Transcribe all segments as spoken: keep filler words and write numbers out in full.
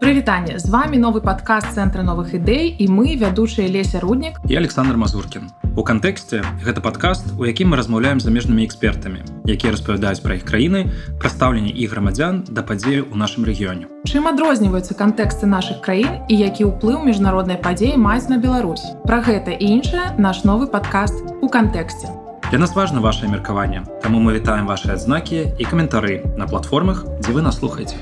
Прывітанне, з вами новы падкаст Цэнтра новых ідэй і мы, вядучыя Леся Руднік і Александр Мазуркін. У кантэксце гэта падкаст, у якім мы размаўляем з замежнымі экспертамі, якія распавядаюць пра іх краіны, пра стаўленне іх грамадзян да падзеяў у нашым рэгіёне. Чым адрозніваюцца кантэксты нашых краін і які ўплыў міжнародныя падзеі маюць на Беларусь? Пра гэта і іншае наш новы падкаст у кантэксце. Для нас важна вашае меркаванне, таму мы вітаем вашы адзнакі і каментары на платформах, дзе вы нас слухаеце.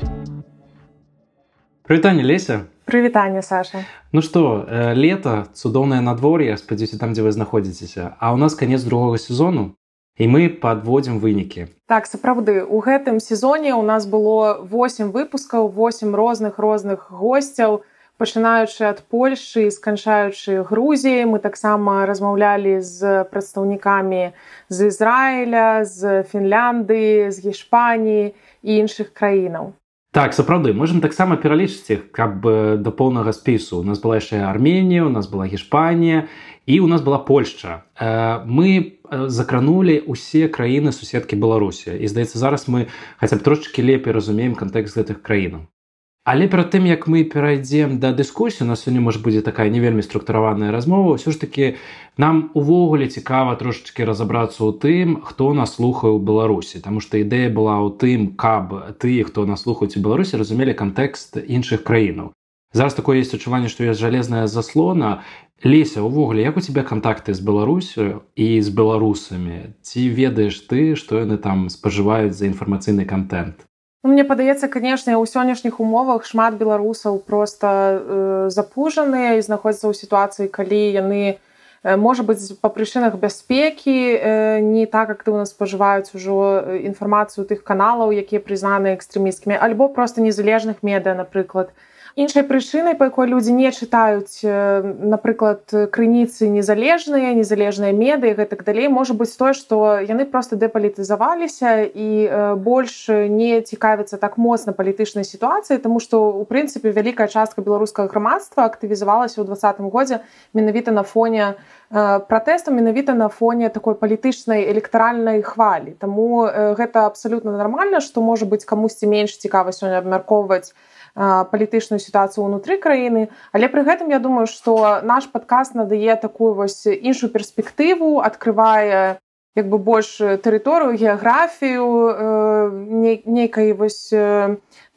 Прывітанне, Леся. Прывітанне, Саша. Ну што, э, лета, цудоўнае надвор'е, спадзяюся, там, дзе вы знаходзіцеся. А ў нас канец другога сезону, і мы падводзім вынікі. Так, сапраўды, у гэтым сезоне у нас было восем выпускаў, восем розных-розных госцяў, пачынаючы ад Польшы, сканчаючы Грузіяй. Мы таксама размаўлялі з прадстаўнікамі з Ізраіля, з Фінляндыі, з Гішпаніі і іншых краінаў. Так, сапраўды, можам таксама пералічыць іх, каб да поўнага спісу. У нас была яшчэ Арменія, у нас была Гішпанія і у нас была Польшча. Мы закранулі ўсе краіны суседкі Беларусі. І, здаецца, зараз мы хаця б трошачкі лепей разумеем кантэкст гэтых краінаў. Але перад тым, як мы перайдзем да дыскусіі, у нас сёння, можа, будзе такая не вельмі структураваная размова, ўсё ж такі нам увогуле цікава трошачкі разабрацца ў тым, хто нас слухае ў Беларусі. Таму што ідэя была ў тым, каб тыя, хто нас слухаюць у Беларусі, разумелі кантэкст іншых краінаў. Зараз такое ёсць адчуванне, што ёсць жалезная заслона. Леся, увогуле, як у цябе кантакты з Беларусю і з беларусамі? Ці ведаеш ты, што яны там спажываюць за інфармацыйны кантэнт? Мне падаецца, канешне, у сённяшніх умовах шмат беларусаў проста э, запужаныя і знаходзяцца ў сітуацыі, калі яны, э, можа быць, па прычынах бяспекі э, не так актыўна спажываюць ужо інфармацыю тых каналаў, якія прызнаны экстрэмісцкімі, альбо проста незалежных медыа, напрыклад. Іншай прычынай, па якой людзі не чытаюць, напрыклад, крыніцы незалежныя, незалежныя медыі, гэтак далей, можа быць тое, што яны проста дэпалітызаваліся і больш не цікавяцца так моцна палітычнай сітуацыяй, таму што, у прынцыпе, вялікая частка беларускага грамадства актывізавалася ў двадцатым годзе менавіта на фоне пратэстаў, менавіта на фоне такой палітычнай электаральнай хвалі. Таму гэта абсалютна нармальна, што, можа быць, камусьці менш цікава сёння абмяркоўваць палітычную сітуацыю ўнутры краіны, але пры гэтым я думаю, што наш падкаст надае такую вось іншую перспектыву, адкрывае як бы больш тэрыторыю, геаграфію нейкай вось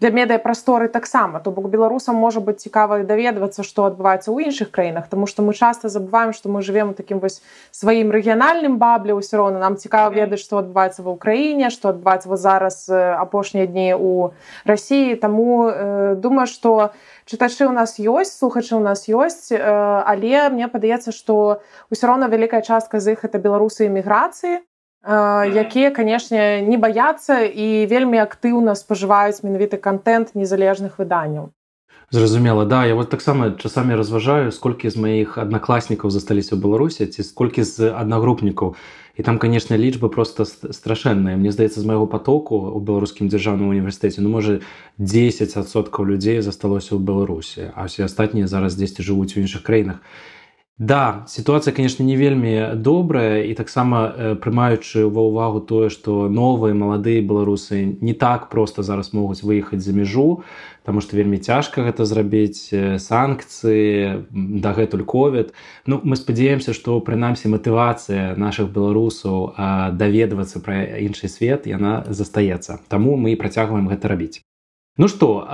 для медыапрасторы таксама. То бок беларусам можа быць цікава даведвацца, што адбываецца ў іншых краінах, таму што мы часта забываем, што мы жывем у такім вось сваім рэгіянальным бабле, ўсё роўна нам цікава ведаць, што адбываецца ва ўкраіне, што адбываецца зараз апошнія дні ў Расіі. Таму э, думаю, што чытачы ў нас ёсць, слухачы ў нас ёсць, э, але мне падаецца, што ўсё роўна вялікая частка з іх это беларусы эміграцыі, якія, канешне, не баяцца і вельмі актыўна спажываюць менавіта кантэнт незалежных выданняў. Зразумела, да, я вот таксама часамі разважаю, сколькі з маіх аднакласнікаў засталіся ў Беларусі, ці сколькі з аднагрупнікаў. І там, канешне, лічбы проста страшэнныя. Мне здаецца, з майго потоку ў Беларускім дзяржаўным універсітэце, ну, можа, дзесяць адсоткаў людзей засталося ў Беларусі, а ўсе астатнія зараз дзесьці жывуць у іншых краінах. Да, сітуацыя, канешне, не вельмі добрая, і таксама прымаючы ва ўвагу тое, што новыя, маладыя беларусы не так проста зараз могуць выехаць за мяжу, таму што вельмі цяжка гэта зрабіць, санкцыі, дагэтуль ковід. Ну, мы спадзяемся, што, прынамсі, матывацыя нашых беларусаў даведвацца пра іншы свет, яна застаецца. Таму мы працягваем гэта рабіць. Ну што,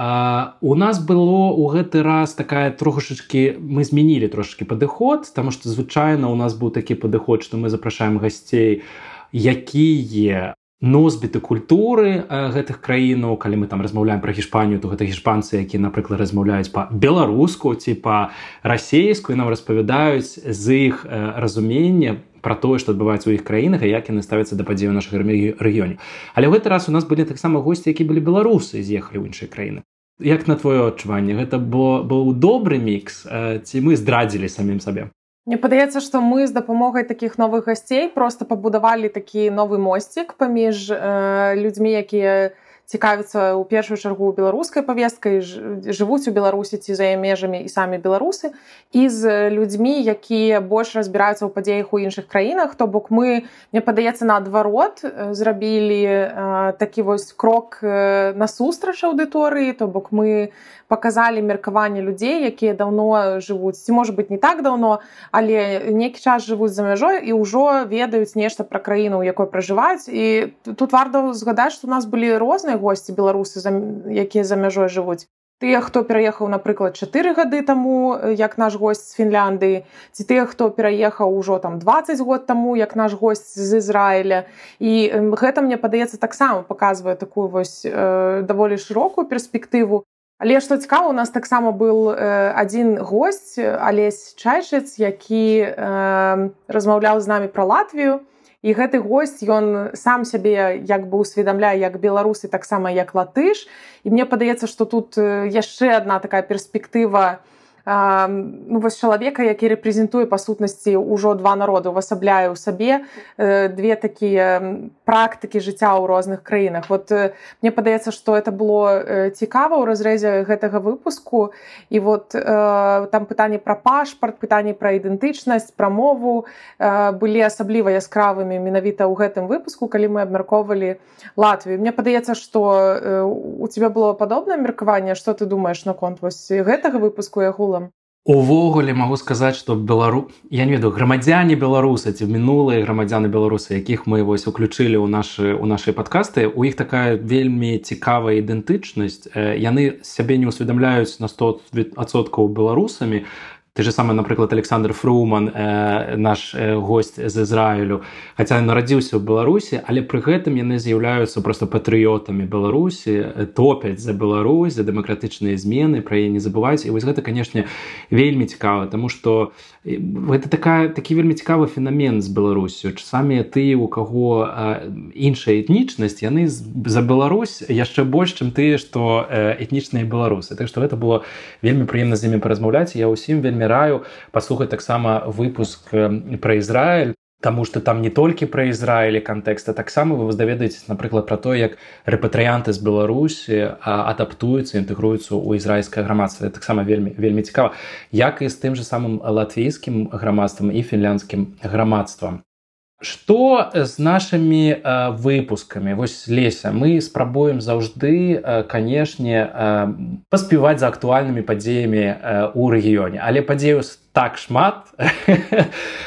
у нас было ў гэты раз такая трошачкі, мы змянілі трошачкі падыход, таму што звычайна у нас быў такі падыход, што мы запрашаем гасцей, якія носьбіты культуры гэтых краінаў. Калі мы там размаўляем пра Гішпанію, то гэта гішпанцы, якія, напрыклад, размаўляюць па-беларуску ці па-расейску, і нам распавядаюць з іх разумення пра тое, што адбываецца ў іх краінах і як яны ставяцца да падзеяў у нашых рэгіёне. Але ў гэты раз у нас былі таксама госці, якія былі беларусы і з'ехалі ў іншыя краіны. Як на твоё адчуванне? Гэта быў добры мікс, ці мы здрадзілі самім сабе? Мне падаецца, што мы з дапамогай такіх новых гасцей проста пабудавалі такі новы мосцік паміж э, людзьмі, якія цікавяцца ў першую чаргу беларускай павесткай, жывуць у Беларусі ці за яе межамі і самі беларусы, і з людзьмі, якія больш разбіраюцца ў падзеях у іншых краінах. То бок мы, мне падаецца, наадварот зрабілі такі вось крок насустрач аўдыторыі, то бок мы паказалі меркаванне людзей, якія даўно жывуць, ці можа быць не так даўно, але нейкі час жывуць за мяжой і ўжо ведаюць нешта пра краіну, у якой пражываюць. І тут варта згадаць, што у нас былі розныя госці беларусы, якія за мяжой жывуць. Тыя, хто пераехаў, напрыклад, чатыры гады таму, як наш госць з Фінляндыі, ці тыя, хто пераехаў ужо там дваццаць год таму, як наш госць з Ізраіля. І гэта, мне падаецца, таксама паказвае такую вось э, даволі шырокую перспектыву. Але што цікава, у нас таксама быў э, адзін госць, Алесь Чайшыц, які э, размаўляў з намі пра Латвію. І гэты госць, ён сам сябе як бы усведамляе як беларус і таксама як латыш. І мне падаецца, што тут яшчэ адна такая перспектыва э, ну, вось чалавека, які рэпрэзентуе па сутнасці ўжо два народы, увасабляе ў сабе э, две такія практыкі жыцця ў розных краінах. Вот э, мне падаецца, што это было э, цікава ў разрэзе гэтага выпуску. І вот э, там пытанні пра пашпарт, пытанні пра ідэнтычнасць, пра мову э, былі асабліва яскравымі менавіта ў гэтым выпуску, калі мы абмяркоўвалі Латвію. Мне падаецца, што э, у цябе было падобнае меркаванне. Што ты думаеш наконт вось гэтага выпуску і агулам? Увогуле магу сказаць, што белару... я не ведаю, грамадзяне беларусы ці мінулыя грамадзяны беларусы, якіх мы вось уключылі ў нашы ў нашыя падкасты, у іх такая вельмі цікавая ідэнтычнасць. Яны сябе не ўсведамляюць на сто адсоткаў беларусамі. Ты же самы, напрыклад, Александр Фруман, э, наш э, госць з Ізраілю, хаця нарадзіўся ў Беларусі, але пры гэтым яны з'яўляюцца проста патрыётамі Беларусі, топяць за Беларусь, за дэмакратычныя змены, пра яе не забываюць. І вось гэта, канешне, вельмі цікава, таму што гэта такая, такі вельмі цікавы фенамен з Беларусю. Часамі ты, у каго э, іншая этнічнасць, яны за Беларусь яшчэ больш, чым тыя, што э, этнічныя беларусы. Так што гэта было вельмі прыемна з імі паразмаўляць. Я ўсім вельмі раю паслухаць таксама выпуск пра Ізраіль, таму што там не толькі пра Ізраіль і кантэкст, а таксама вы даведаецеся, напрыклад, пра тое, як рэпатрыянты з Беларусі адаптуюцца, інтэгруюцца ў ізраільскае грамадства. Это таксама вельмі, вельмі цікава. Як і з тым же самым латвійскім грамадствам і фінляндскім грамадствам. Што з нашымі э, выпускамі? Вось, Леся, мы спрабуем заўжды, э, канешне, э, паспяваць за актуальнымі падзеямі э, ў рэгіёне. Але падзеяў так шмат,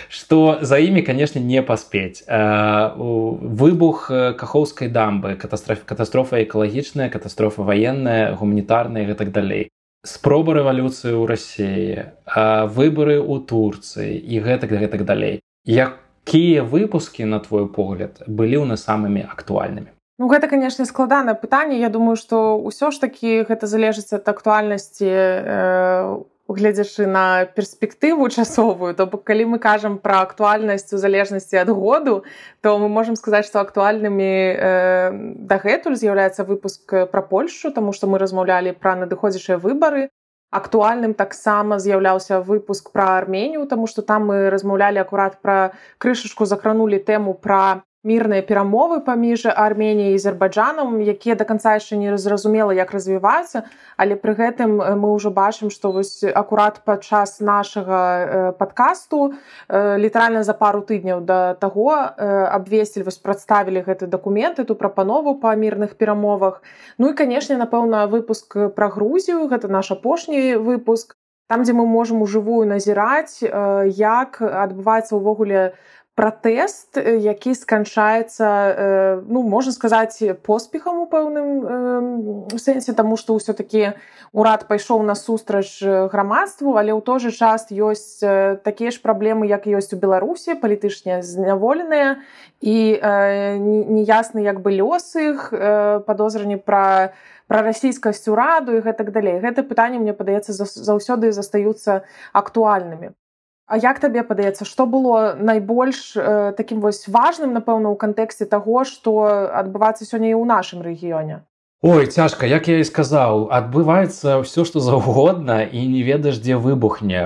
што за імі, канешне, не паспець. Э, выбух Кахоўскай дамбы, катастрофа, катастрофа экалагічная, катастрофа ваенная, гуманітарная і гэтак далей. Спроба рэвалюцыі ў Расіі, э, выбары ў Турцыі і гэтак, гэтак далей. Як Якія выпускі, на твой погляд, былі ў нас самымі актуальнымі? Ну, гэта, канешне, складанае пытанне. Я думаю, што ўсё ж такі гэта залежыць ад актуальнасці, э, гледзячы на перспектыву часовую. То бок, калі мы кажам пра актуальнасць у залежнасці ад году, то мы можам сказаць, што актуальнымі э, дагэтуль з'яўляецца выпуск пра Польшчу, таму што мы размаўлялі пра надыходзячыя выбары. Актуальным таксама з'яўляўся выпуск пра Арменію, таму што там мы размаўлялі акурат пра крышачку, закранулі тэму пра мірныя перамовы паміж Арменіяй і Азербайджанам, якія да канца яшчэ не зразумела, як развіваюцца, але пры гэтым мы ўжо бачым, што вось акурат падчас нашага падкасту, літаральна за пару тыдняў да таго абвесцілі, вось прадставілі гэты дакумент, эту прапанову па мірных перамовах. Ну і, канешне, напэўна, выпуск пра Грузію, гэта наш апошні выпуск, там, дзе мы можам ужывую назіраць, як адбываецца ўвогуле пратэст, які сканчаецца, ну, можна сказаць, поспехам у пэўным сэнсе, таму што ўсё-такі урад пайшоў насустрач грамадству, але ў той жа час ёсць такія ж праблемы, як ёсць у Беларусі, палітычна зняволеныя, і неясны як бы лёс іх, падозранні пра пра расійскасць ураду і гэтак далей. Гэта пытанне, мне падаецца, заўсёды застаюцца актуальнымі. А як табе падаецца, што было найбольш э, такім вось важным, напэўна, у кантэксце таго, што адбываецца сёння і ў нашым рэгіёне? Ой, цяжка, як я і сказаў, адбываецца ўсё, што заўгодна і не ведаеш, дзе выбухне.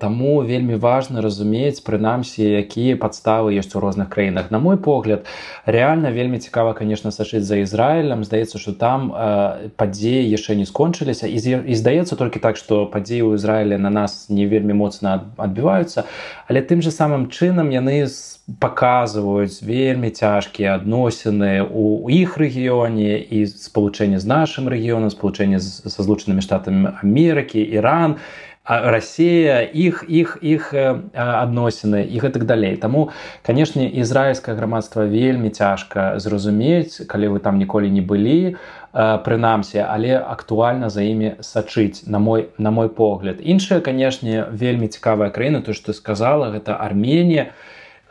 Таму вельмі важна разумець, прынамсі, якія падставы ёсць у розных краінах. На мой погляд, рэальна вельмі цікава, конечно, сачыць за Ізраілем. Здаецца, што там падзеі яшчэ не скончыліся. І здаецца толькі так, што падзеі ў Ізраіле на нас не вельмі моцна адбіваюцца, але тым же самым чынам яны паказваюць вельмі цяжкія адносіны ў іх рэгіёне і спалучэнне з нашым рэгіёнам, спалучэнне са Злучанымі Штатамі Амерыкі, Іран, Расія, іх, іх, іх адносіны і гэтак далей. Таму, канешне, ізраільскае грамадства вельмі цяжка зразумець, калі вы там ніколі не былі, прынамсі, але актуальна за імі сачыць, на мой, на мой погляд. Іншая, канешне, вельмі цікавая краіна, то, што ты сказала, гэта Арменія.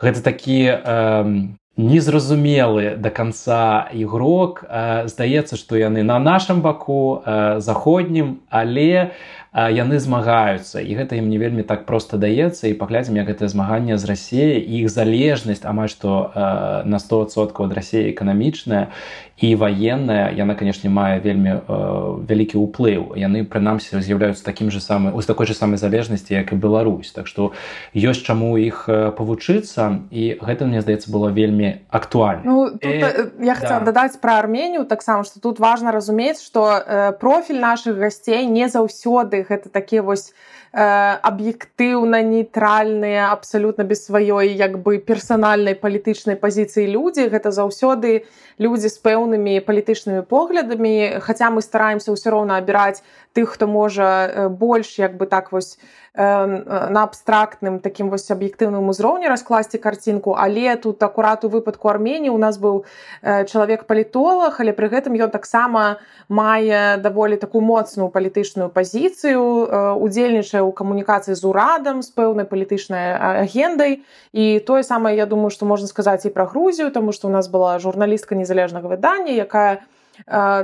Гэта такі э, незразумелы да канца ігрок. Э, здаецца, што яны на нашым баку, э, заходнім, але э, яны змагаюцца. І гэта ім не вельмі так проста даецца. І паглядзім, як гэтае змаганне з Расіяй і іх залежнасць амаль што э, на сто адсоткаў ад Расіі эканамічная і ваенная, яна, канешне, мае вельмі э, вялікі ўплыў. Яны, прынамсі, з'яўляюцца такім же самым, з такой же самай залежнасці, як і Беларусь. Так што ёсць чаму іх павучыцца, і гэта, мне здаецца, было вельмі актуальна. Ну, тут э, я хотела да. дадаць пра Арменію таксама, што тут важна разумець, што э, профіль нашых гасцей не заўсёды гэта такія вось аб'ектыўна нейтральныя, абсалютна без сваёй як бы персанальнай палітычнай пазіцыі людзі. Гэта заўсёды людзі з пэўнымі палітычнымі поглядамі, хаця мы стараемся ўсё роўна абіраць тых, хто можа больш як бы так вось на абстрактным такім вось аб'ектыўным узроўні раскласці карцінку, але тут акурат у выпадку Арменіі у нас быў чалавек-палітолог, але пры гэтым ён таксама мае даволі такую моцную палітычную пазіцыю, удзельнічае ў камунікацыі з урадам, з пэўнай палітычнай агендай. І тое самае, я думаю, што можна сказаць і пра Грузію, таму што у нас была журналістка незалежнага выдання, якая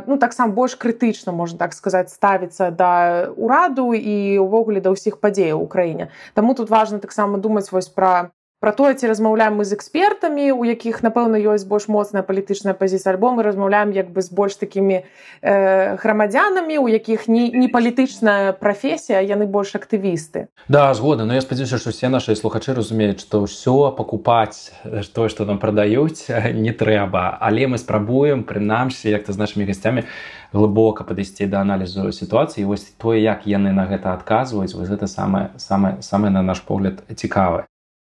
ну, таксама больш крытычна, можна так сказаць, ставіцца да ўраду і ўвогуле да ўсіх падзеяў у краіне. Таму тут важна таксама думаць вось пра Пра тое, ці размаўляем мы з экспертамі, у якіх, напэўна, ёсць больш моцная палітычная пазіцыя, альбо мы размаўляем як бы з больш такімі э, грамадзянамі, у якіх не, не палітычная прафесія, яны больш актывісты. Да, згодна, но я спадзяюся, што ўсе нашы слухачы разумеюць, што ўсё пакупаць тое, што нам прадаюць, не трэба. Але мы спрабуем, прынамсі, як-то з нашымі гасцямі, глыбока падысці да аналізу сітуацыі. І вось тое, як яны на гэта адказваюць, вось гэта самае, самае, самае на наш погляд, цікавае.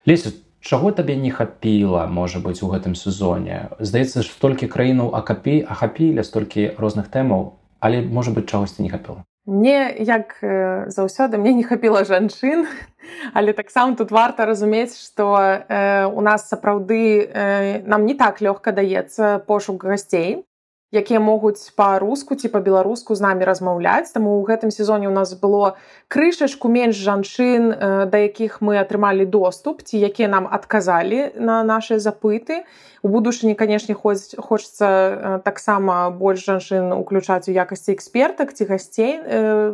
Леся, чаго табе не хапіла, можа быць, у гэтым сезоне? Здаецца, што столькі краінаў ахапі, ахапілі, столькі розных тэмаў, але, можа быць, чагосьці не хапіла? Мне, як э, заўсёды, мне не хапіла жанчын, але таксама тут варта разумець, што э, у нас сапраўды э, нам не так лёгка даецца пошук гасцей, якія могуць па-руску ці па-беларуску з намі размаўляць. Таму ў гэтым сезоне у нас было крышачку менш жанчын, да якіх мы атрымалі доступ, ці якія нам адказалі на нашыя запыты. У будучыні, канешне, хочацца таксама больш жанчын уключаць у якасці экспертак ці гасцей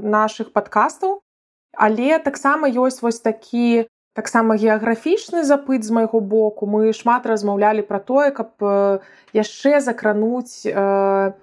нашых падкастаў. Але таксама ёсць вось такі таксама геаграфічны запыт з майго боку. Мы шмат размаўлялі пра тое, каб яшчэ закрануць э,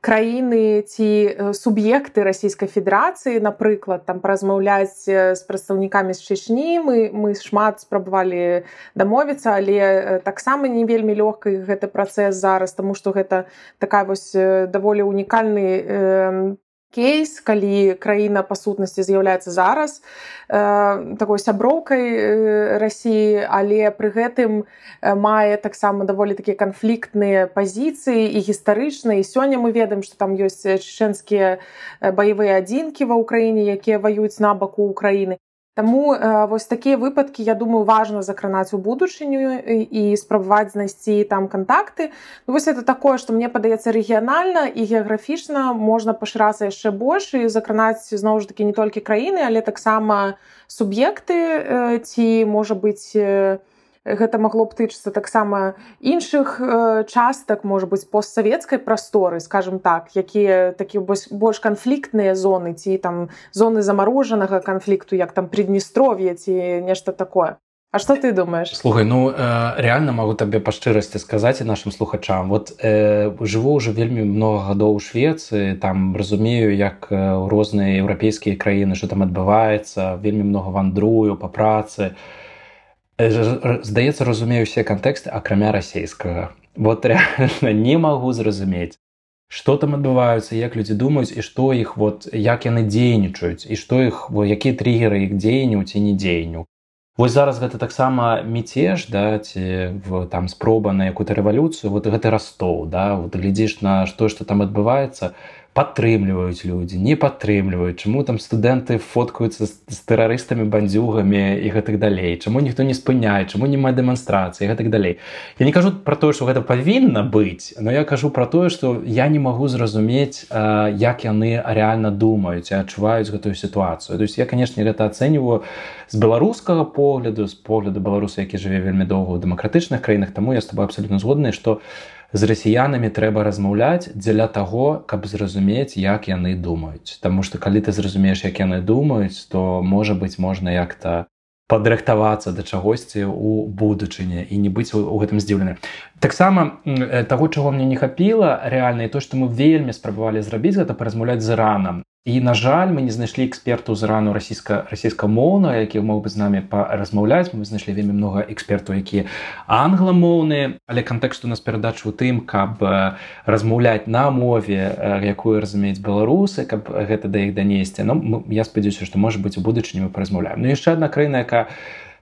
краіны ці суб'екты Расійскай Федэрацыі, напрыклад, там паразмаўляць з прадстаўнікамі з Чечні. Мы, мы шмат спрабавалі дамовіцца, але таксама не вельмі лёгка гэты працэс зараз, таму што гэта такая вось даволі унікальны э, кейс, калі краіна па сутнасці з'яўляецца зараз э, такой сяброўкай э, Расіі, але пры гэтым э, мае таксама даволі такія канфліктныя пазіцыі і гістарычныя. І сёння мы ведаем, што там ёсць чечэнскія баявыя адзінкі ва ўкраіне, якія ваююць на баку Украіны. Таму э, вось такія выпадкі, я думаю, важна закранаць у будучыню і, і спрабаваць знайсці там кантакты. Ну, вось это такое, што мне падаецца рэгіянальна і геаграфічна можна пашырацца яшчэ больш і закранаць, зноў ж такі, не толькі краіны, але таксама суб'екты э, ці, можа быць, э, гэта магло б тычыцца таксама іншых э, частак, можа быць, постсавецкай прасторы, скажем так, якія такія больш канфліктныя зоны, ці там зоны замарожанага канфлікту, як там Прыднестров'е ці нешта такое. А что ты думаешь? Слухай, ну реально могу табе па шчырасці сказаць і нашим слухачам. Вот э, жыву уже вельмі много гадоў у Швецыі, там разумею, як розныя еўрапейскія краіны, што там адбываецца, вельмі много вандрую па працы. Здаецца, разумею усе кантэксты, акрамя расейскага. Вот реально не магу зразумець, што там адбываюцца, як людзі думаюць і што іх, вот, як яны дзейнічаюць, і што іх, якія триггеры іх дзеянняў ці не дзеянняў. Вось зараз гэта таксама мятеж, да, ці там спроба на якую-то рэвалюцыю, вот гэты Ростов, да, вот глядзіш на што, што там адбываецца, падтрымліваюць людзі, не падтрымліваюць, чаму там студэнты фоткаюцца з, з тэрарыстамі, бандзюгамі і гэтак далей, чаму ніхто не спыняе, чаму няма дэманстрацыі і гэтак далей. Я не кажу пра тое, што гэта павінна быць, но я кажу пра тое, што я не магу зразумець, як яны рэальна думаюць і адчуваюць гэтую сітуацыю. То есть я, канешне, гэта ацэньваю з беларускага погляду, з погляду беларуса, які жыве вельмі доўга ў дэмакратычных краінах, таму я з тобой абсалютна згодны, што з расіянамі трэба размаўляць дзеля таго, каб зразумець, як яны думаюць. Таму што калі ты зразумееш, як яны думаюць, то, можа быць, можна як-то падрыхтавацца да чагосьці ў будучыні і не быць у гэтым здзіўленым. Таксама таго, чаго мне не хапіла, рэальна, і то, што мы вельмі спрабавалі зрабіць, гэта паразмаўляць з Іранам. І, на жаль, мы не знайшлі экспертаў з Ірану расійскамоўнага, які мог бы з намі паразмаўляць. Мы знайшлі вельмі много экспертаў, якія англамоўныя, але кантэкст у нас перадачы ў тым, каб размаўляць на мове, якую разумеюць беларусы, каб гэта да іх данесці. Ну, я спадзяюся, што, можа быць, у будучыні мы паразмаўляем. Ну, яшчэ адна краіна, якая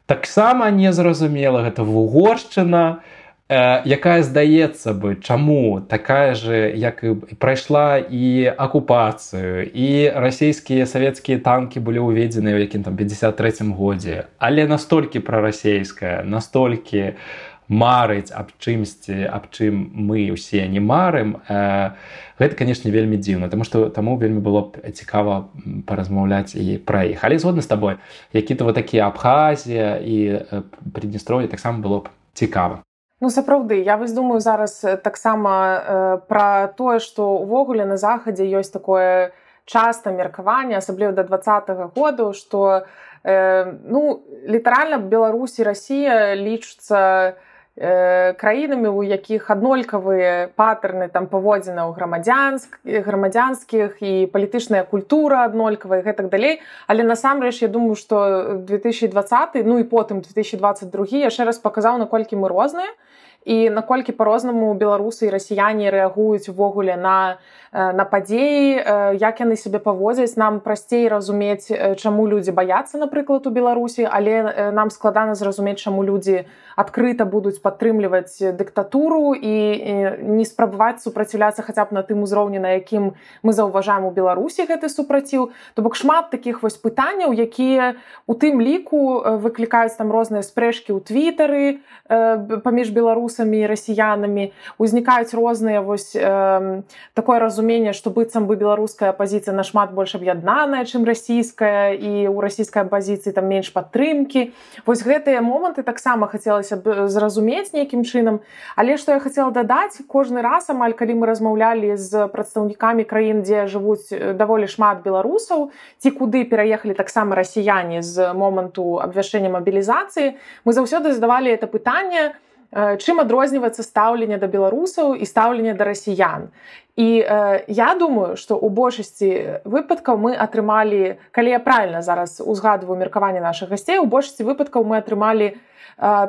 таксама незразумела, гэта Угоршчына, якая, здаецца бы, чаму такая же, як і прайшла і акупацыю, і расійскія савецкія танкі былі ўведзены ў якім там пятьдесят трэцім годзе, але настолькі прарасейская, настолькі марыць аб чымсьці, аб чым мы ўсе не марым, гэта, канешне, вельмі дзіўна, таму што таму вельмі было б цікава паразмаўляць і пра іх. Але згодна з табой, які-то вот такія Абхазія і Прыднестров'е таксама было б цікава. Ну, сапраўды, я вось думаю зараз таксама э, пра тое, што ўвогуле на захадзе ёсць такое часта меркаванне, асабліва да двадцатага году, што э, ну, літаральна Беларусь і Расія лічацца э, краінамі, у якіх аднолькавыя патэрны там паводзінаў грамадзянск, грамадзянскіх і палітычная культура аднолькавая і гэтак далей. Але насамрэч я думаю, што две тысячи двадцаты, ну і потым две тысячи двадцать другі яшчэ раз паказаў, наколькі мы розныя. І наколькі па-рознаму беларусы і расіяне рэагуюць увогуле на, на падзеі, як яны сябе паводзяць. Нам прасцей разумець, чаму людзі баяцца, напрыклад, у Беларусі, але нам складана зразумець, чаму людзі адкрыта будуць падтрымліваць дыктатуру і не спрабаваць супраціўляцца хаця б на тым узроўні, на якім мы заўважаем у Беларусі гэты супраціў. То бок шмат такіх вось пытанняў, якія у тым ліку выклікаюць там розныя спрэчкі ў твітары паміж беларусамі і расіянамі, узнікаюць розныя вось э, такое разуменне, што быццам бы беларуская апазіцыя нашмат больш аб'яднаная, чым расійская, і ў расійскай апазіцыі там менш падтрымкі. Вось гэтыя моманты таксама хацелася б зразумець нейкім чынам. Але што я хацела дадаць, кожны раз, амаль калі мы размаўлялі з прадстаўнікамі краін, дзе жывуць даволі шмат беларусаў, ці куды пераехалі таксама расіяне з моманту абвяшчэння мабілізацыі, мы заўсёды задавалі это пытанне, чым адрозніваецца стаўленне да беларусаў і стаўленне да расіян. І э, я думаю, што ў большасці выпадкаў мы атрымалі, калі я правільна зараз узгадваю меркаванне нашых гасцей, у большасці выпадкаў мы атрымалі э,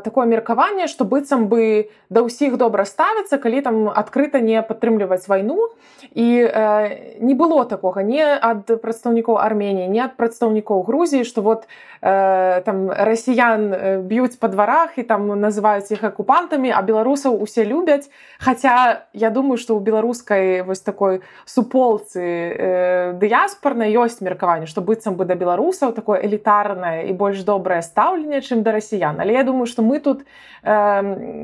такое меркаванне, што быццам бы да ўсіх добра ставіцца, калі там адкрыта не падтрымліваць вайну. І э, не было такога ні ад прадстаўнікоў Арменіі, ні ад прадстаўнікоў Грузіі, што вот э, там расіян б'юць па дварах і там называюць іх акупантамі, а беларусаў усе любяць. Хаця я думаю, што ў беларускай вось такой суполцы э, дыяспарнай ёсць меркаванне, што быццам бы да беларусаў такое элітарнае і больш добрае стаўленне, чым да расіян. Але я думаю, што мы тут э,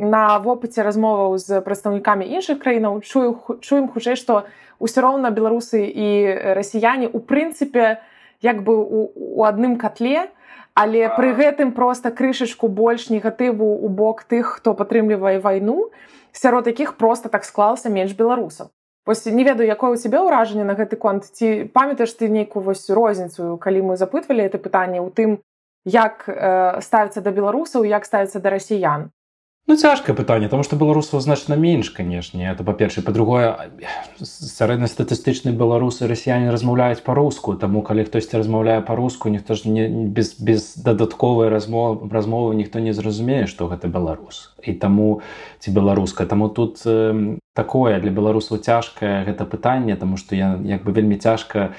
на вопыце размоваў з прадстаўнікамі іншых краінаў чую, чуем хутчэй, што ўсё роўна беларусы і расіяне у прынцыпе як бы у, у адным котле, але пры гэтым проста крышачку больш негатыву ў бок тых, хто падтрымлівае вайну, сярод якіх проста так склалася менш беларусаў. Вось не ведаю, якое ў цябе ўражанне на гэты конт, ці памятаеш ты нейкую вось розніцу, калі мы запытвалі гэта пытанне ў тым, як ставіцца да беларусаў, як ставіцца да расіян? Ну, цяжкае пытанне, тому што беларусаў значна менш, канешне. Это па-першае. Па-другое, сярэднастатыстычныя беларусы і расіяне размаўляюць па-руску, таму калі хтосьці размаўляе па-руску, ніхто ж не, без, без дадатковай размовы, размовы ніхто не зразумее, што гэта беларус. І таму, ці беларуска. Таму тут э, такое для беларусаў цяжкае гэта пытанне, таму што я як бы вельмі цяжка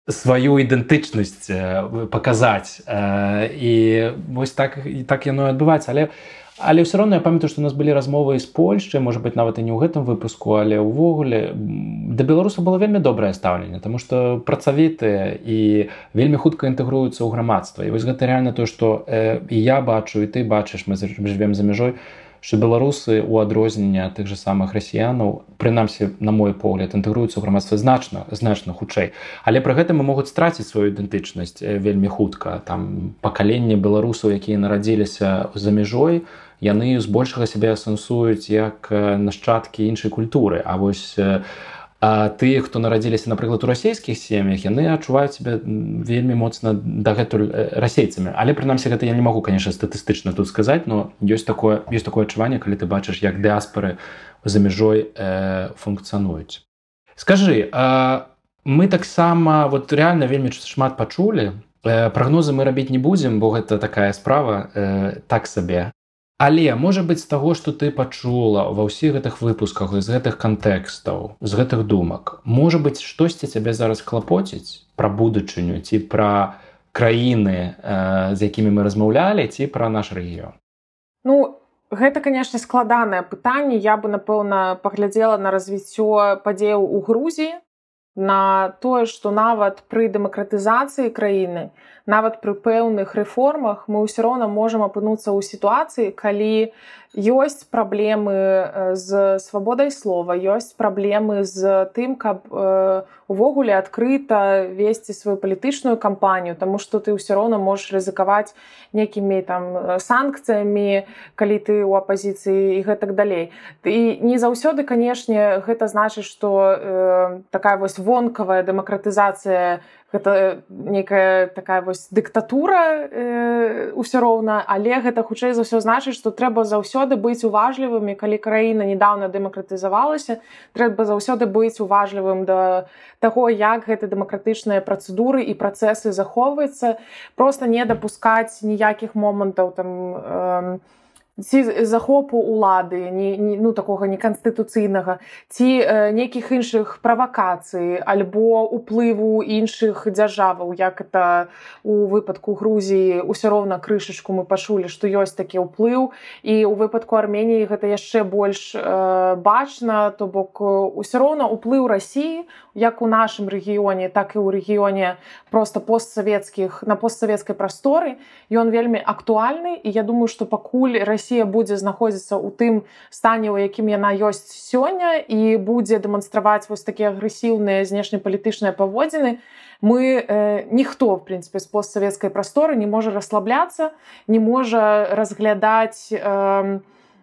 сваю ідэнтычнасць паказаць. Э, і вось так, так яно і адбываецца. Але Але ўсё роўна я памятаю, што у нас былі размовы з Польшчай, можа быць, нават і не ў гэтым выпуску, але ўвогуле да беларусаў было вельмі добрае стаўленне, таму што працавітыя і вельмі хутка інтэгруюцца ў грамадства. І вось гэта рэальна тое, што э, і я бачу, і ты бачыш, мы жывем за мяжой, што беларусы ў адрозненне ад тых жа самых расіянаў, прынамсі, на мой погляд, інтэгруюцца ў грамадства значна, значна хутчэй. Але пры гэтым могуць страціць сваю ідэнтычнасць вельмі хутка. Там пакаленне беларусаў, якія нарадзіліся за мяжой, яны збольшага сябе асэнсуюць як нашчадкі іншай культуры. А вось а тыя, хто нарадзіліся, напрыклад, у расійскіх сем'ях, яны адчуваюць сябе вельмі моцна дагэтуль расейцамі. Але, прынамсі, гэта я не магу, канешне, статыстычна тут сказаць, но ёсць такое, ёсць такое адчуванне, калі ты бачыш, як дыаспары за мяжой э, функцыянуюць. Скажы, а мы таксама вот рэальна вельмі шмат пачулі. Э, прагнозы мы рабіць не будзем, бо гэта такая справа э, так сабе. Але, можа быць, з таго, што ты пачула ва ўсіх гэтых выпусках, з гэтых кантэкстаў, з гэтых думак, можа быць, штосьці цябе зараз клапоціць пра будучыню, ці пра краіны, э, з якімі мы размаўлялі, ці пра наш рэгіён? Ну, гэта, канешне, складанае пытанне. Я бы, напэўна, паглядзела на развіццё падзеяў у Грузіі, на тое, што нават пры дэмакратызацыі краіны, нават пры пэўных рэформах мы ўсё роўна можам апынуцца ў сітуацыі, калі ёсць праблемы з свабодай слова, ёсць праблемы з тым, каб э, увогуле адкрыта весці сваю палітычную кампанію, таму што ты ўсё роўна можаш рызыкаваць нейкімі там санкцыямі, калі ты ў апазіцыі і гэтак далей. І не заўсёды, канешне, гэта значыць, што э, такая вось вонкавая дэмакратызацыя, гэта некая такая вось дыктатура э, ўсё роўна, але гэта хутчэй за ўсё значыць, што трэба заўсёды быць уважлівымі, калі краіна недаўна дэмакратызавалася, трэба заўсёды быць уважлівым да таго, як гэты дэмакратычныя працэдуры і працэсы захоўваюцца, проста не дапускаць ніякіх момантаў там э, ці захопу улады, не, не, ну, такога неканстытуцыйнага, ці э, нейкіх іншых правакацый, альбо уплыву іншых дзяржаваў, як это у выпадку Грузіі, усё роўна крышачку мы пачулі, што ёсць такі ўплыў, і ў выпадку Арменіі гэта яшчэ больш э, бачна, то бок усё роўна ўплыў Расіі, як у нашым рэгіёне, так і ў рэгіёне проста постсавецкіх, на постсавецкай прасторы, ён вельмі актуальны, і я думаю, што пакуль Расія будзе знаходзіцца ў тым стане, у якім яна ёсць сёння, і будзе дэманстраваць вось такія агрэсіўныя знешнепалітычныя паводзіны, мы, э, ніхто, в прынцыпе, з постсавецкай прасторы не можа расслабляцца, не можа разглядаць э,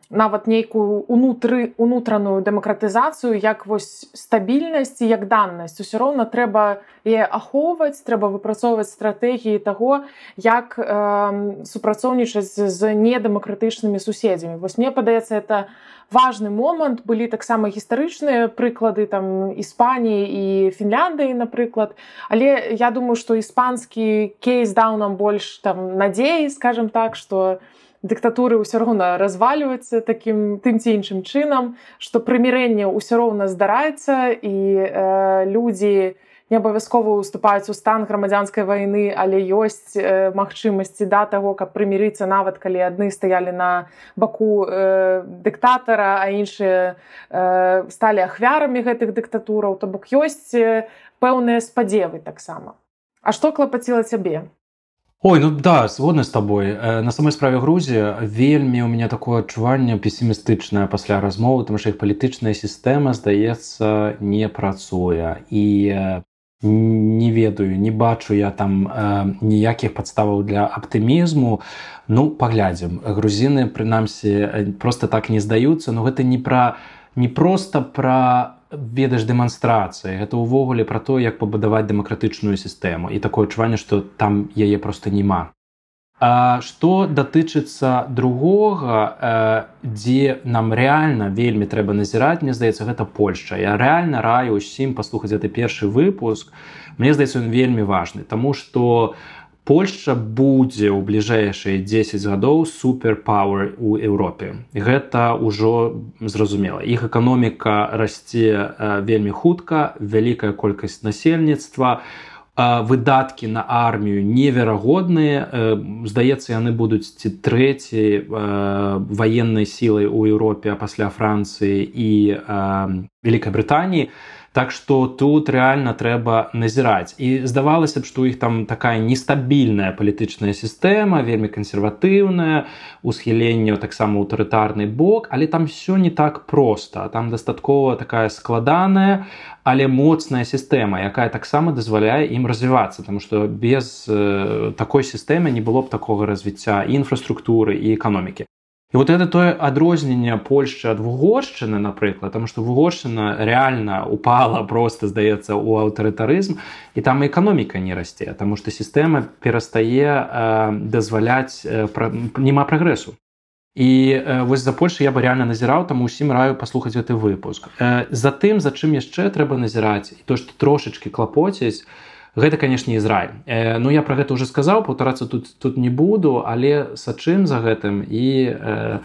нават нейкую унутры, унутраную дэмакратызацыю як вось стабільнасць і як даннасць. Усё роўна трэба яе ахоўваць, трэба выпрацоўваць стратэгіі таго, як э, супрацоўнічаць з недэмакратычнымі суседзямі. Вось мне падаецца, это важны момант. Былі таксама гістарычныя прыклады там Іспаніі і Фінляндыі, напрыклад. Але я думаю, што іспанскі кейс даў нам больш там надзеі, скажем так, што дыктатуры ўсё роўна разваліваюцца такім тым ці іншым чынам, што прымірэнне ўсё роўна здараецца, і э, людзі не абавязкова ўступаюць у стан грамадзянскай вайны, але ёсць э, магчымасці да таго, каб прымірыцца, нават калі адны стаялі на баку э, дыктатара, а іншыя э, сталі ахвярамі гэтых дыктатураў. То бок ёсць э, пэўныя спадзевы таксама. А што клапаціла цябе? Ой, ну да, згодна з табой. На самой справе Грузія вельмі у мяне такое адчуванне песімістычнае пасля размовы, тому што іх палітычная сістэма, здаецца, не працуе. І не ведаю, не бачу я там ніякіх падставаў для аптымізму. Ну, паглядзім. Грузіны, прынамсі, проста так не здаюцца, но гэта не пра, не проста пра ведаш дэманстрацыі, гэта ўвогуле пра то, як пабудаваць дэмакратычную сістэму, і такое адчуванне, што там яе проста няма. А што датычыцца другога, дзе нам рэальна вельмі трэба назіраць, мне здаецца, гэта Польшча. Я рэальна раю ўсім паслухаць гэты першы выпуск. Мне здаецца, ён вельмі важны, таму што Польшча будзе ў бліжэйшыя дзесяць гадоў суперпауэр у Еўропе. Гэта ўжо зразумела. Іх эканоміка расце вельмі хутка, вялікая колькасць насельніцтва, выдаткі на армію неверагодныя. Здаецца, яны будуць ці трэцяй ваеннай сілай у Еўропе пасля Францыі і Вялікай Брытаніі. Так што тут рэальна трэба назіраць. І здавалася б, што ў іх там такая нестабільная палітычная сістэма, вельмі кансерватыўная, усхіленне таксама аўтарытарны бок, але там все не так проста. Там дастаткова такая складаная, але моцная сістэма, якая таксама дазваляе ім развівацца, таму што без такой сістэмы не было б такога развіцця і інфраструктуры, і эканомікі. І вот это тое адрозненне Польшчы ад Вугоршчыны, напрыклад, таму што Вугоршчына рэальна упала проста, здаецца, у аўтарытарызм, і там і эканоміка не расце, таму што сістэма перастае э, дазваляць, э, пра... няма прагрэсу. І э, вось за Польшчу я бы рэальна назіраў, таму ўсім раю паслухаць гэты выпуск. Э, за тым, за чым яшчэ трэба назіраць, і то, што трошачкі клапоціць, гэта, канешне, Ізраіль. Э, ну, я пра гэта ўжо сказаў, паўтарацца тут, тут не буду, але сачым за гэтым і, э,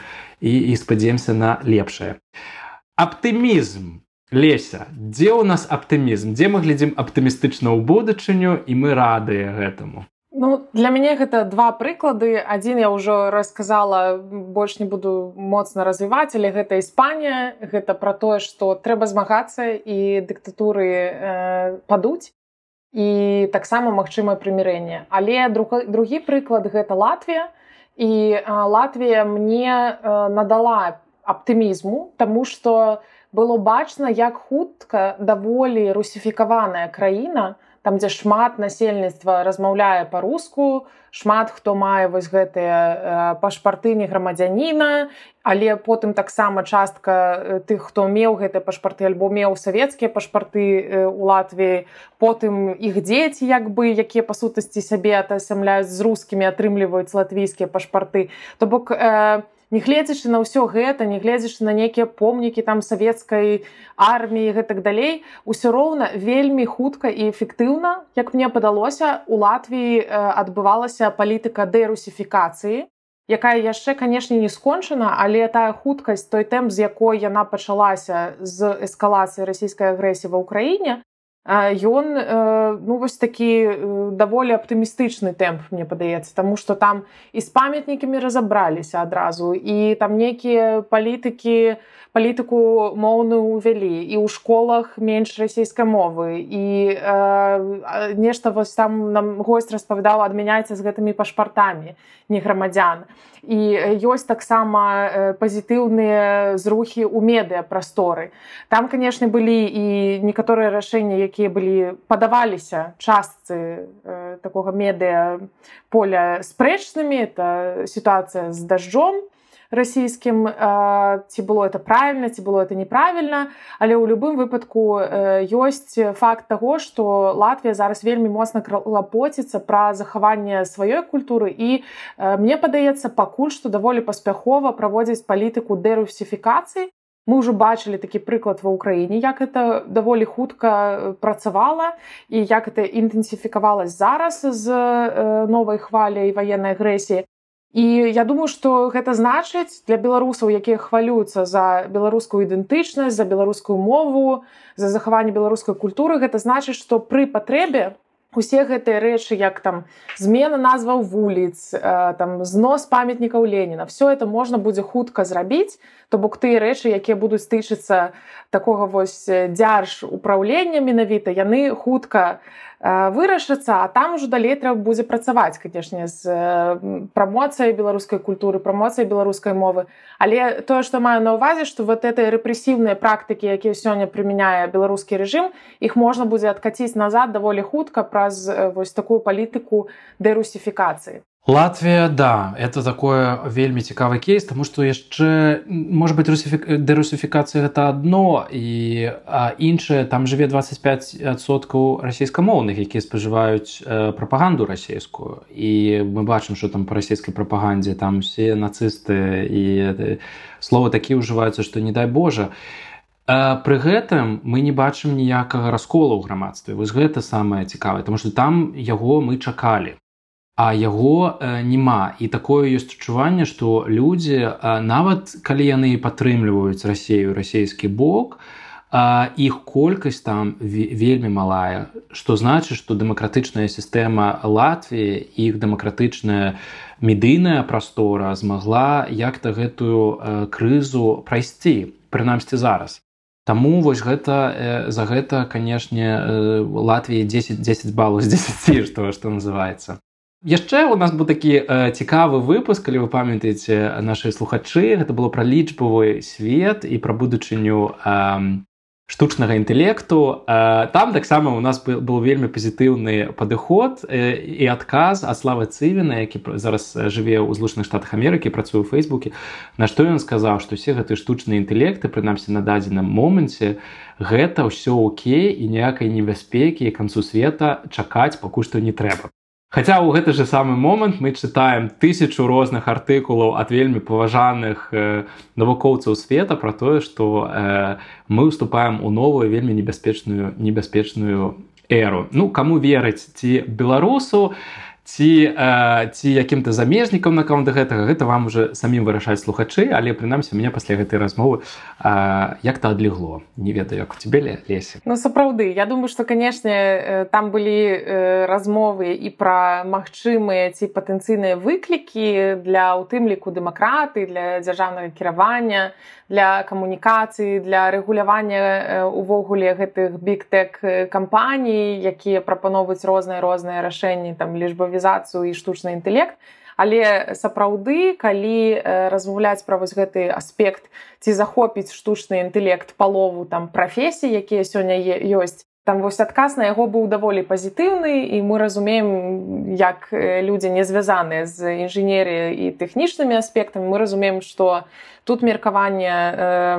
і, і спадзеемся на лепшае. Аптымізм. Леся, дзе ў нас аптымізм? Дзе мы глядзім аптымістычна ў будучыню, і мы радыя гэтаму? Ну, для мяне гэта два прыклады. Адзін я ўжо расказала, больш не буду моцна развіваць, але гэта Іспанія. Гэта пра тое, што трэба змагацца і дыктатуры э, падуць. І таксама магчымае прымірэнне. Але друг, другі прыклад гэта Латвія. І а, Латвія мне а, надала аптымізму, таму што было бачна, як хутка даволі русіфікаваная краіна, там, дзе шмат насельніцтва размаўляе па-руску, шмат хто мае вось гэтыя пашпарты не грамадзяніна, але потым таксама частка тых, хто меў гэтыя пашпарты альбо меў савецкія пашпарты у Латвіі, потым іх дзеці, як бы, якія па сутнасці сябе атасамляюць з рускімі, атрымліваюць латвійскія пашпарты. То бок, э, не гледзячы на ўсё гэта, не гледзячы на нейкія помнікі там савецкай арміі і гэтак далей, усё роўна вельмі хутка і эфектыўна, як мне падалося, у Латвіі адбывалася палітыка дэрусіфікацыі, якая яшчэ, канешне, не скончана, але тая хуткасць, той тэмп, з якой яна пачалася з эскалацыі расійскай агрэсіі ва ўкраіне, ён, ну, вось такі даволі аптымістычны тэмп, мне падаецца, таму што там і з памятнікамі разабраліся адразу, і там нейкія палітыкі, палітыку моўную ўвялі, і ў школах менш расійскай мовы, і э, нешта вось там нам госць распавядаў, адмяняйце з гэтымі пашпартамі не грамадзян. І ёсць таксама пазітыўныя зрухі ў медыапрасторы. Там, канешне, былі і некаторыя рашэнні, якія былі падаваліся частцы э, такога медыаполя спрэчнымі. Это сітуацыя з дажджом расійскім, э, ці было это правільна, ці было это неправільна, але ў любым выпадку э, ёсць факт таго, што Латвія зараз вельмі моцна клапоціцца пра захаванне сваёй культуры, і э, мне падаецца, пакуль што даволі паспяхова праводзіць палітыку дэрусіфікацыі. Мы ўжо бачылі такі прыклад ва ўкраіне, як это даволі хутка працавала і як это інтэнсіфікавалася зараз з э, новай хваляй ваеннай агрэсіі. І я думаю, што гэта значыць для беларусаў, якія хвалююцца за беларускую ідэнтычнасць, за беларускую мову, за захаванне беларускай культуры, гэта значыць, што пры патрэбе усе гэтыя рэчы, як там змена назваў вуліц, там знос памятнікаў Леніна, все это можна будзе хутка зрабіць, то бок тыя рэчы, якія будуць тычыцца такога вось дзяржупраўлення менавіта, яны хутка вырашыцца, а там ужо далей трэба будзе працаваць, канешне, з прамоцыяй беларускай культуры, прамоцыяй беларускай мовы. Але тое, што маю на ўвазе, што вот гэтыя рэпрэсіўныя практыкі, якія сёння прымяняе беларускі рэжым, іх можна будзе адкаціць назад даволі хутка праз вось такую палітыку дэрусіфікацыі. Латвія, да, это такое вельмі цікавы кейс, таму што яшчэ, можа быць, дэрусіфікацыя гэта адно, і а іншае, там жыве дваццаць пяць адсоткаў расейскамоўных, якія спажываюць э, прапаганду расейскую. І мы бачым, што там па расейскай прапагандзе там усе нацысты і э, словы такія ўжываюцца, што не дай Божа. А пры гэтым мы не бачым ніякага расколу ў грамадстве. Вось гэта самае цікавае, таму што там яго мы чакалі. А яго э, няма. І такое ёсць адчуванне, што людзі, э, нават калі яны падтрымліваюць Расею, расейскі бок, э, іх колькасць там вельмі малая. Што значыць, што дэмакратычная сістэма Латвіі, іх дэмакратычная медыйная прастора змагла як-то гэтую э, крызу прайсці, прынамсі зараз. Таму вось гэта, э, за гэта, канешне, э, Латвіі дзесяць балаў з дзесяці, што, што называецца. Яшчэ у нас быў такі э, цікавы выпуск, калі вы памятаеце нашы слухачы, гэта было пра лічбавы свет і пра будучыню э, штучнага інтэлекту. Э, там таксама у нас был, был вельмі пазітыўны падыход э, і адказ ад Славы Цывіна, які зараз жыве ў Злучаных Штатах Амерыкі, працуе ў Фейсбуке, на што ён сказаў, што ўсе гэтыя штучныя інтэлекты, прынамсі на дадзеным моманце, гэта ўсё окей і ніякай небяспекі і канцу света чакаць пакуль што не трэба. Хаця ў гэты же самы момант мы чытаем тысячу розных артыкулаў ад вельмі паважаных э, навукоўцаў света пра тое, што э, мы ўступаем у новую вельмі небяспечную небяспечную эру. Ну, каму верыць, ці беларусу, ці, э, ці якім-то замежнікам наконт гэтага, гэта вам уже самім вырашаць слухачы, але прынамсі у мяне пасля гэтай размовы э, як-то адлегло. Не ведаю, як у цябе, Леся. Ну, сапраўды, я думаю, што, канешне, там былі размовы і пра магчымыя ці патэнцыйныя выклікі для, у тым ліку, дэмакраты, для дзяржаўнага кіравання, для камунікацыі, для рэгулявання увогуле гэтых бig-tech кампаній, якія прапаноўваюць розныя-розныя рашэнні, там, лічбавізацыю і штучны інтэлект. Але сапраўды, калі размаўляць пра вось гэты аспект, ці захопіць штучны інтэлект палову там прафесій, якія сёння ёсць, там вось адказ на яго быў даволі пазітыўны, і мы разумеем, як людзі не звязаныя з інжынерыяй і тэхнічнымі аспектамі, мы разумеем, што тут меркаванне э,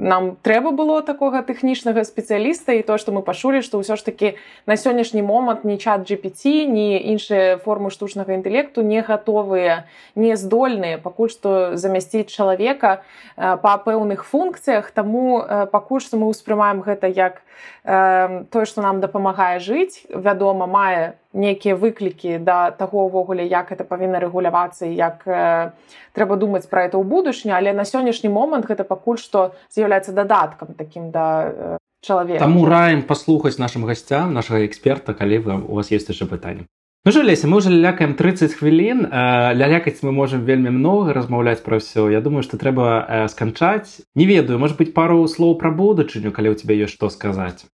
нам трэба было такога тэхнічнага спецыяліста, і то, што мы пачулі, што ўсё ж такі на сённяшні момант ні чат джі пі ці, ні іншыя формы штучнага інтэлекту не гатовыя, не здольныя пакуль што замясціць чалавека э, па пэўных функцыях, таму э, пакуль што мы ўспрымаем гэта як э, тое, што нам дапамагае жыць, вядома, мае нейкія выклікі да таго ўвогуле, як гэта павінна рэгулявацца і як э, трэба думаць пра гэта ў будучыню, але на сённяшні момант гэта пакуль што з'яўляецца дадаткам такім да э, чалавека. Таму раім паслухаць нашым гасцям, нашага эксперта, калі вы, у вас ёсць яшчэ пытанне. Ну що, Леся, мы ўжо лялякаем трыццаць хвілін, э, лялякаць мы можам вельмі многа, размаўляць пра ўсё. Я думаю, што трэба э, сканчаць. Не ведаю, можа быць, пару слоў пра будучыню, калі ў цябе ёсць што сказаць.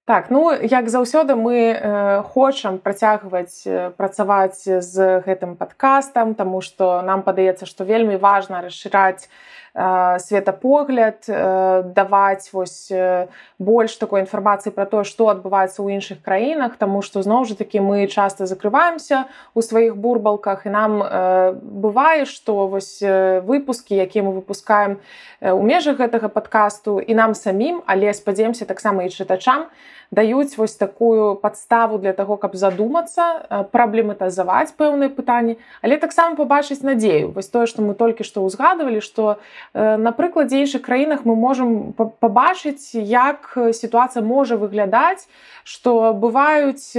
Так, ну, як заўсёды мы э, хочам працягваць э, працаваць з гэтым падкастам, таму што нам падаецца, што вельмі важна расшыраць э, светапогляд, э, даваць вось э, больш такой інфармацыі пра тое, што адбываецца ў іншых краінах, таму што, зноў жа такі, мы часта закрываемся ў сваіх бурбалках, і нам э, бывае, што вось э, выпускі, якія мы выпускаем э, у межах гэтага падкасту, і нам самім, але спадзяемся таксама і чытачам, даюць вось такую падставу для таго, каб задумацца, праблематызаваць пэўныя пытанні, але таксама пабачыць надзею. Вось тое, што мы толькі што ўзгадывалі, што на прыкладзе іншых краінах мы можам пабачыць, як сітуацыя можа выглядаць, што бываюць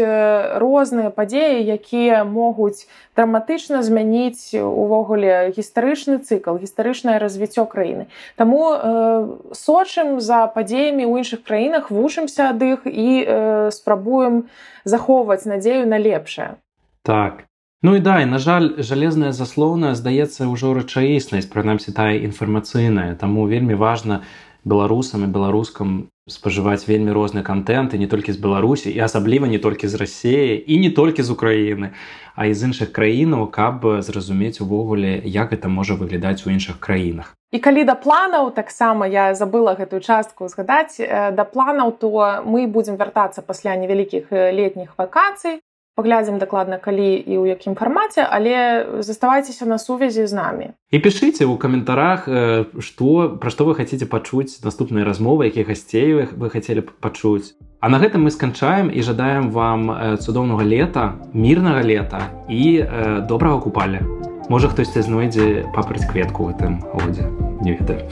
розныя падзеі, якія могуць драматычна змяніць увогуле гістарычны цыкл, гістарычнае развіццё краіны. Таму э, сочым за падзеямі ў іншых краінах, вучымся ад іх і э, спрабуем захоўваць надзею на лепшае. Так. Ну і да, і, на жаль, жалезная заслоўна, здаецца, ўжо рэчаіснасць, прынамсі тая інфармацыйная, таму вельмі важна беларусам і беларускам спажываць вельмі розны кантэнт, і не толькі з Беларусі, і асабліва не толькі з Расіі, і не толькі з Украіны, а і з іншых краінаў, каб зразумець увогуле, як гэта можа выглядаць у іншых краінах. І калі да планаў, таксама я забыла гэтую частку згадаць, да планаў, то мы будзем вяртацца пасля невялікіх летніх вакацый. паглядзім дакладна калі і ў якім фармаце, але заставайцеся на сувязі з намі. І пішыце ў каментарах, што, пра што вы хацеце пачуць наступныя размовы, якіх гасцей вы хацелі б пачуць. А на гэтым мы сканчаем і жадаем вам цудоўнага лета, мірнага лета і э, добрага купаля. Можа, хтосьці знойдзе папраць кветку ў гэтым годзе. Не ведаю.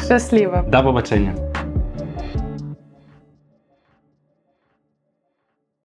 Шчасліва. Да пабачэння.